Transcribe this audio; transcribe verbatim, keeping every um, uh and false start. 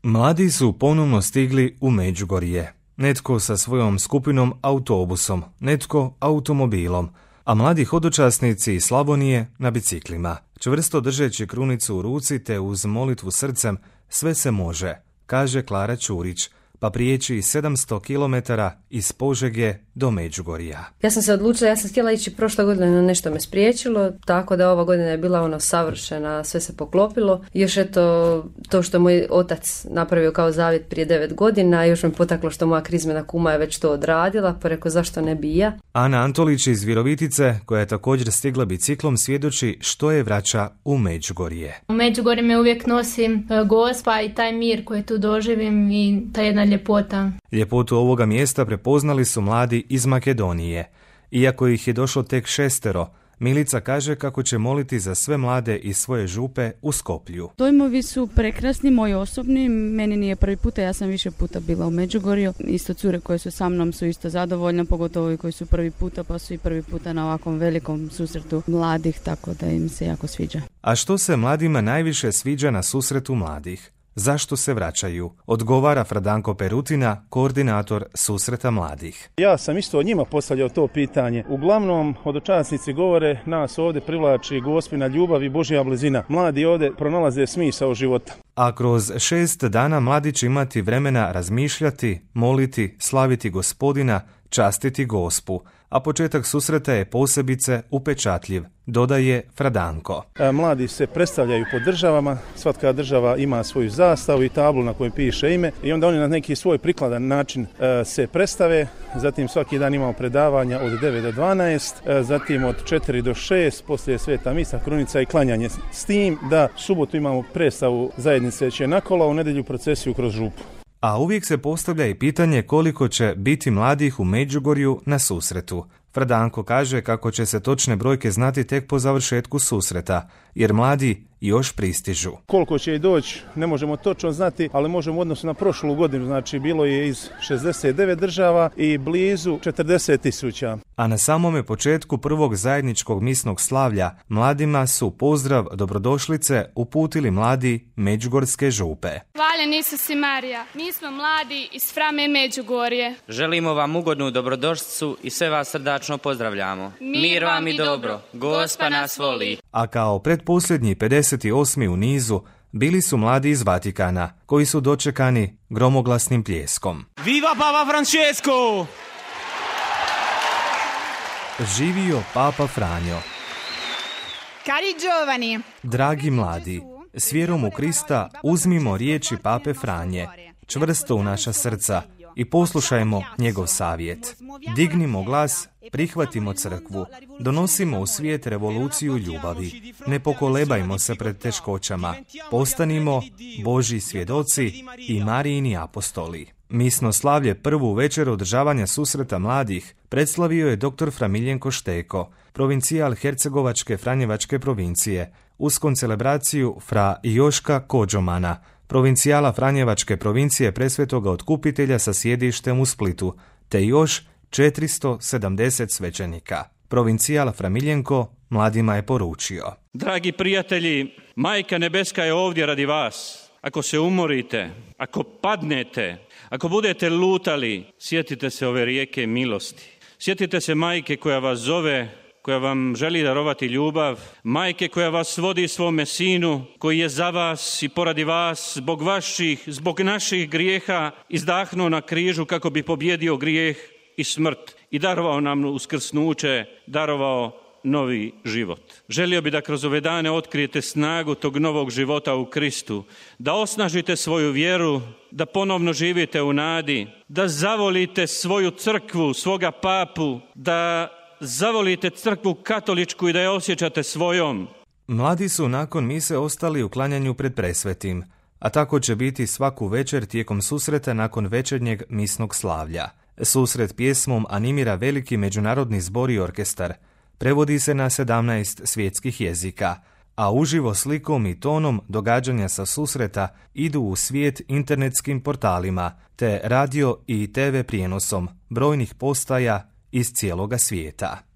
Mladi su ponovno stigli u Međugorje. Netko sa svojom skupinom autobusom, netko automobilom, a mladi hodočasnici iz Slavonije na biciklima. Čvrsto držeći krunicu u ruci te uz molitvu srcem, sve se može, kaže Klara Ćurić, pa prijeći sedamsto kilometara iz Požege do Međugorja. Ja sam se odlučila, ja sam htjela ići prošle godine, no nešto me spriječilo, tako da ova godina je bila ono savršena, sve se poklopilo. Još eto, to što moj otac napravio kao zavjet prije devet godina, još me potaklo što moja krizmena kuma je već to odradila, pa rekao zašto ne bi ja. Ana Antolić iz Virovitice, koja je također stigla biciklom, svjedoči što je vraća u Međugorje. U Međugorje me uvijek nosim Gospa i taj mir koji tu doživim i ta jedna ljepota. Ljepotu ovoga mjesta prepoznali su mladi iz Makedonije. Iako ih je došlo tek šestero, Milica kaže kako će moliti za sve mlade iz svoje župe u Skoplju. Dojmovi su prekrasni, moji osobni, meni nije prvi puta, ja sam više puta bila u Međugorju. Isto cure koje su sa mnom su isto zadovoljne, pogotovo i koji su prvi puta, pa su i prvi puta na ovakvom velikom susretu mladih, tako da im se jako sviđa. A što se mladima najviše sviđa na susretu mladih? Zašto se vraćaju? Odgovara Fradanko Perutina, koordinator susreta mladih. Ja sam isto od njima postavljao to pitanje. Uglavnom, hodočasnici govore, nas ovdje privlači Gospina ljubav i Božja blizina. Mladi ovdje pronalaze smisao života. A kroz šest dana mladi će imati vremena razmišljati, moliti, slaviti Gospodina, častiti Gospu, a početak susreta je posebice upečatljiv, dodaje Fradanko. Mladi se predstavljaju po državama, svatka država ima svoju zastavu i tablu na kojoj piše ime i onda oni na neki svoj prikladan način se predstave, zatim svaki dan imamo predavanja od devet do dvanaest, zatim od četiri do šest, poslije sveta misa, krunica i klanjanje, s tim da subotu imamo predstavu zajednice će nakola, u nedjelju procesiju kroz župu. A uvijek se postavlja i pitanje koliko će biti mladih u Međugorju na susretu. Fradanko kaže kako će se točne brojke znati tek po završetku susreta, jer mladi još pristižu. Koliko će i doći, ne možemo točno znati, ali možemo u odnosu na prošlu godinu, znači bilo je iz šezdeset devet država i blizu četrdeset tisuća. A na samome početku prvog zajedničkog misnog slavlja mladima su pozdrav dobrodošlice uputili mladi Međugorske župe. Hvaljen Isus i Marija, mi smo mladi iz Frame Međugorje. Želimo vam ugodnu dobrodošlicu i sve vas srdačno pozdravljamo. Mir, Mir vam i dobro, Gospa nas voli. A kao pretposljednji pedeset osmi u nizu bili su mladi iz Vatikana, koji su dočekani gromoglasnim pljeskom. Viva Papa Francesco! Živio Papa Franjo. Cari giovani! Dragi mladi, s vjerom u Krista uzmimo riječi Pape Franje, čvrsto u naša srca, i poslušajmo njegov savjet. Dignimo glas, prihvatimo crkvu, donosimo u svijet revoluciju ljubavi. Ne pokolebajmo se pred teškoćama, postanimo Božji svjedoci i Marijini apostoli. Misno slavlje prvu večer održavanja susreta mladih predslavio je doktor Fra Miljenko Šteko, provincijal Hercegovačke Franjevačke provincije, uz koncelebraciju Fra Joška Kođomana, provincijala Franjevačke provincije Presvetoga Otkupitelja sa sjedištem u Splitu, te još četiristo sedamdeset svećenika. Provincijal Fra Miljenko mladima je poručio: Dragi prijatelji, Majka Nebeska je ovdje radi vas. Ako se umorite, ako padnete, ako budete lutali, sjetite se ove rijeke milosti. Sjetite se Majke koja vas zove, koja vam želi darovati ljubav, Majke koja vas vodi svome sinu, koji je za vas i poradi vas, zbog vaših, zbog naših grijeha, izdahnuo na križu kako bi pobjedio grijeh i smrt i darovao nam uskrsnuće, darovao novi život. Želio bi da kroz ove dane otkrijete snagu tog novog života u Kristu, da osnažite svoju vjeru, da ponovno živite u nadi, da zavolite svoju crkvu, svoga papu, da zavolite crkvu katoličku i da je osjećate svojom. Mladi su nakon mise ostali u klanjanju pred presvetim, a tako će biti svaku večer tijekom susreta nakon večernjeg misnog slavlja. Susret pjesmom animira veliki međunarodni zbor i orkestar. Prevodi se na sedamnaest svjetskih jezika, a uživo slikom i tonom događanja sa susreta idu u svijet internetskim portalima, te radio i te ve prijenosom brojnih postaja iz cijeloga svijeta.